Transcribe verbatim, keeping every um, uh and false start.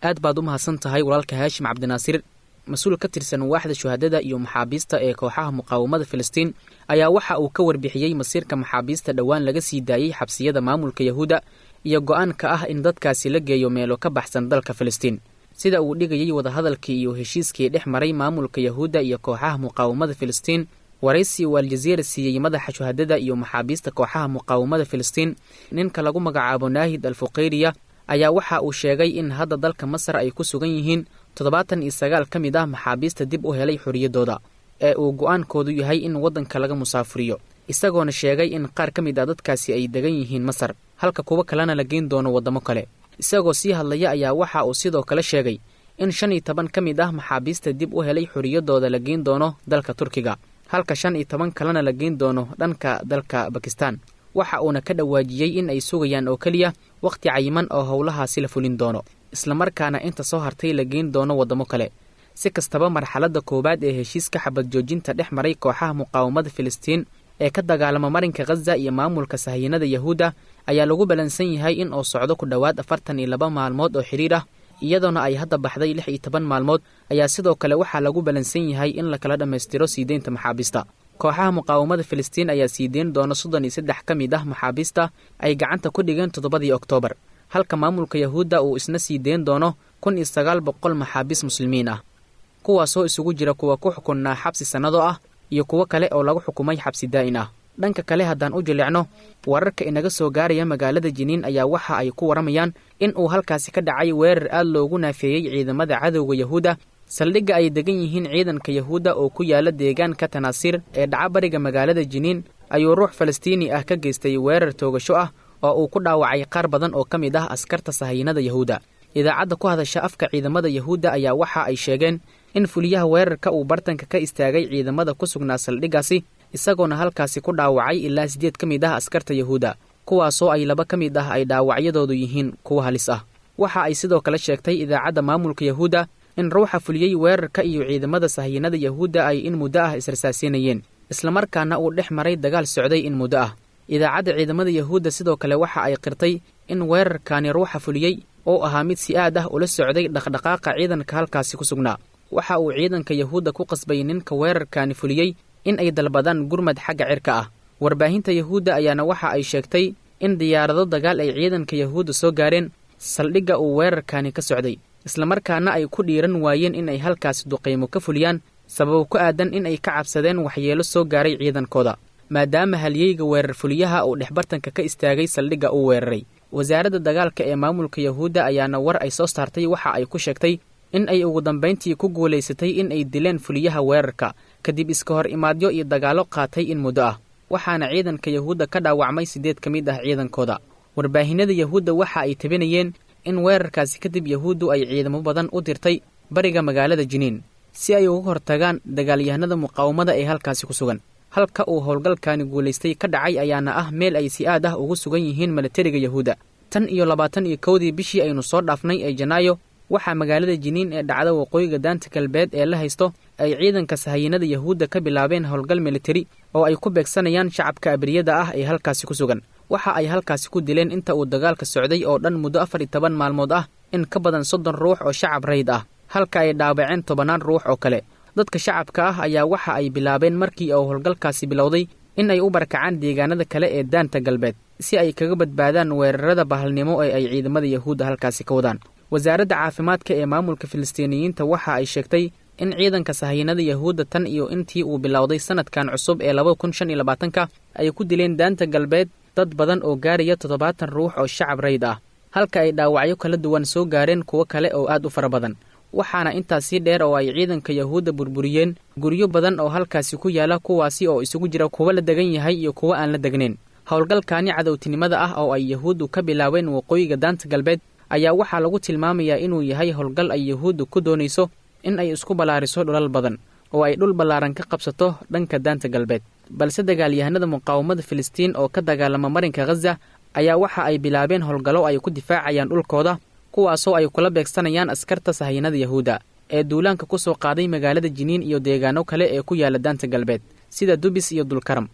Aad baad u mahadsan tahay walaalka Haashim Cabdinaasir. Mas-uul ka tirsan waaxda shuhadada iyo maxaabiista ee kooxaha muqaawamada Filistiin ayaa waxa uu ka warbixiyey masiirka maxaabiista dhowaan laga sii daayey xabsiyada maamulka Yahuudda iyo go'aanka ah in dadkaasi la geeyo meelo ka baxsan dalka Filistiin. Sida uu dhigayey wadahadalkii iyo heshiiskii dhex maray maamulka Yahuudda iyo kooxaha muqaawamada Filistiin, waraysi uu Aljaziira siiyey madaxa shuhadada iyo maxaabiista kooxaha muqaawamada Filistiin, ninka lagu magacaabo Naahid Alfuqayriya, ayaa waxa uu sheegay in hadda dalka Masar ay ku sugan yihiin toddobaatan iyo sagaal ka mid ah maxaabiista dib u helay xorriyaddooda ee uu go'aankoodu yahay in waddanka laga musaafuriyo, isagoona sheegay in qaar ka mid ah dadkaasi ay degan yihiin Masar, halka kuwo kalena la geyn doono waddamo kale. Isagoo sii hadlaya ayaa waxa uu sidoo kale sheegay in shan iyo toban ka mid ah maxaabiista dib u helay xorriyaddooda la geyn doono dalka Turkiga, halka shan iyo toban kalena la geyn doono dhanka dalka Bakistan. Waxa uuna ka dhawaajiyey in ay sugayaan oo keliya wakhti cayiman oo howlahaasi la fulin doono, islamarkaana inta soo hartay la geyn doono waddamo kale. Si kastaba, marxaladda koowaad ee heshiiska xabad joojinta dhex maray kooxaha muqaawamada Filistiin ee ka dagaalama marinka Khaza iyo maamulka sahayanada Yahuudda ayaa lagu balansan yahay in uu socdo ku dhowaad afartan iyo laba maalmood oo xidhiir ah, iyadoona ay hadda baxday lix iyo toban maalmood. Ayaa sidoo kale waxaa lagu balansan yahay in lakala dhammaystiro sii deynta maxaabiista. Kooxaha muqaawamada Filistiin ayaa sii deyn doona soddon iyo saddex ka mid ah maxaabiista ay gacanta ku dhigeen toddobadii Oktoobar, halka maamulka Yahuudda uu isna sii deyn doono kun iyo sagaal boqol maxaabiis muslimiin ah, kuwaasoo isugu jira kuwa ku xukunnaa xabsi sannado ah iyo kuwo kale oo lagu xukumay xabsi daa'in ah. Dhanka kale, haddaan u jilicno wararka inaga soo gaaraya magaalada Jiniin ayaa waxa ay ku waramayaan in uu halkaasi ka dhacay weerar aad loogu naafeeyey ciidamada cadowga Yahuudda. Saldhigga ay degan yihiin ciidanka Yahuudda oo ku yaala deegaanka Tanaasiir ee dhaca bariga magaalada Jiniin ayuu ruux Falastiini ah ka geystay weerar toogasho ah oo uu ku dhaawacay qaar badan oo ka mid ah askarta sahayanada Yahuudda. Idaacadda ku hadasha afka ciidamada Yahuudda ayaa waxa ay sheegeen in fuliyaha weerarka uu bartanka ka istaagay ciidamada ku sugnaa saldhiggaasi, isagoona halkaasi ku dhaawacay ilaa siddeed ka mid ah askarta Yahuudda, kuwaasoo ay laba ka mid ah ay dhaawacyadoodu yihiin kuwo halis ah. Waxa ay sidoo kale sheegtay idaacadda maamulka Yahuudda in ruuxa fuliyey weerarka iyo ciidamada sahayanada Yahuudda ay in muddo ah israsaasinayeen, islamarkaana uu dhex maray dagaal socday in muddo ah. Idaacadda ciidamada Yahuudda sidoo kale waxa ay qirtay in weerarkaani ruuxa fuliyey oo ahaa mid si aad ah ula socday dhaqdhaqaaqa ciidanka halkaasi ku sugnaa. Waxa uu ciidanka Yahuudda ku qasbay ninka weerarkaani fuliyey in ay dalbadaan gurmad xagga cirka ah. Warbaahinta Yahuudda ayaana waxa ay sheegtay in diyaarado dagaal ay ciidanka Yahuudda soo gaareen saldhigga uu weerarkaani ka socday, islamarkaana ay ku dhiiran waayeen in ay halkaasi duqaymo ka fuliyaan, sababo ku aadan in ay ka cabsadeen waxyeelo soo gaaray ciidankooda, maadaama halyeyga weerar fuliyaha uu dhexbartanka ka istaagay saldhigga uu weeraray. Wasaaradda dagaalka ee maamulka Yahuudda ayaana war ay soo saartay waxa ay ku sheegtay in ay ugu dambayntii ku guulaysatay in ay dileen fuliyaha weerarka kadib iska hor imaadyo iyo dagaallo qaatay in muddo ah, waxaana ciidanka Yahuudda ka dhaawacmay siddeed ka mid ah ciidankooda. Warbaahinada Yahuudda waxa ay tabinayeen in weerarkaasi kadib Yahuuddu ay ciidamo badan u dirtay bariga magaalada Jiniin si ay uga hortagaan dagaalyahanada muqaawamada ee halkaasi ku sugan. Halka uu howlgalkaani guulaystay ka dhacay ayaana ah meel ay si aad ah ugu sugan yihiin milatariga Yahuudda. Tan iyo labaatan iyo kowdii bishii aynu soo dhaafnay ee Janaayo, waxaa magaalada Jiniin ee dhacda waqooyiga Daanta Galbeed ee la haysto ay ciidanka sahayanada Yahuudda ka bilaabeen howlgal militari oo ay ku beegsanayaan shacabka abriyada ah ee halkaasi ku sugan. Waxa ay halkaasi ku dileen inta uu dagaalka socday oo dhan muddo afar iyo toban maalmood ah in ka badan soddon ruux oo shacab rayd ah, halka ay dhaawaceen tobannaan ruux oo kale. Dadka shacabka ah ayaa waxa ay bilaabeen markii uu howlgalkaasi bilowday in ay u barakacaan deegaanada kale ee Daanta Galbeed si ay kaga badbaadaan weerarada bahalnimo ee ay ciidamada Yahuudda halkaasi ka wadaan. Wasaaradda caafimaadka ee maamulka Filistiiniyiinta waxa ay sheegtay in ciidanka sahayanada Yahuudda tan iyo intii uu bilowday sanadkan cusub ee laba kun shan iyo labaatanka ay ku dileen Daanta Galbeed dad badan oo gaaraya toddobaatan ruux oo shacab rayd ah, halka ay dhaawacyo kala duwan soo gaareen kuwo kale oo aad u fara badan. Waxaana intaasii dheer oo ay ciidanka Yahuudda burburiyeen guryo badan oo halkaasi ku yaala, kuwaasi oo isugu jira kuwa la degan yahay iyo kuwa aan la degnayn. Howlgalkaani cadowtinimada ah oo ay Yahuuddu ka bilaabeen waqooyiga Daanta Galbeed ayaa waxaa lagu tilmaamayaa inuu yahay howlgal ay Yahuuddu ku doonayso in ay isku ballaariso dhulal badan oo ay dhul ballaaran ka qabsato dhanka Daanta Galbeed. Balse dagaalyahanada muqaawamada Filistiin oo ka dagaalama marinka Khaza ayaa waxa ay bilaabeen howlgallo ay ku difaacayaan dhulkooda, kuwaasoo ay kula beegsanayaan askarta sahayanada Yahuudda ee duulaanka ku soo qaaday magaalada Jiniin iyo deegaano kale ee ku yaala Daanta Galbeed sida Dubis iyo Dulkaram.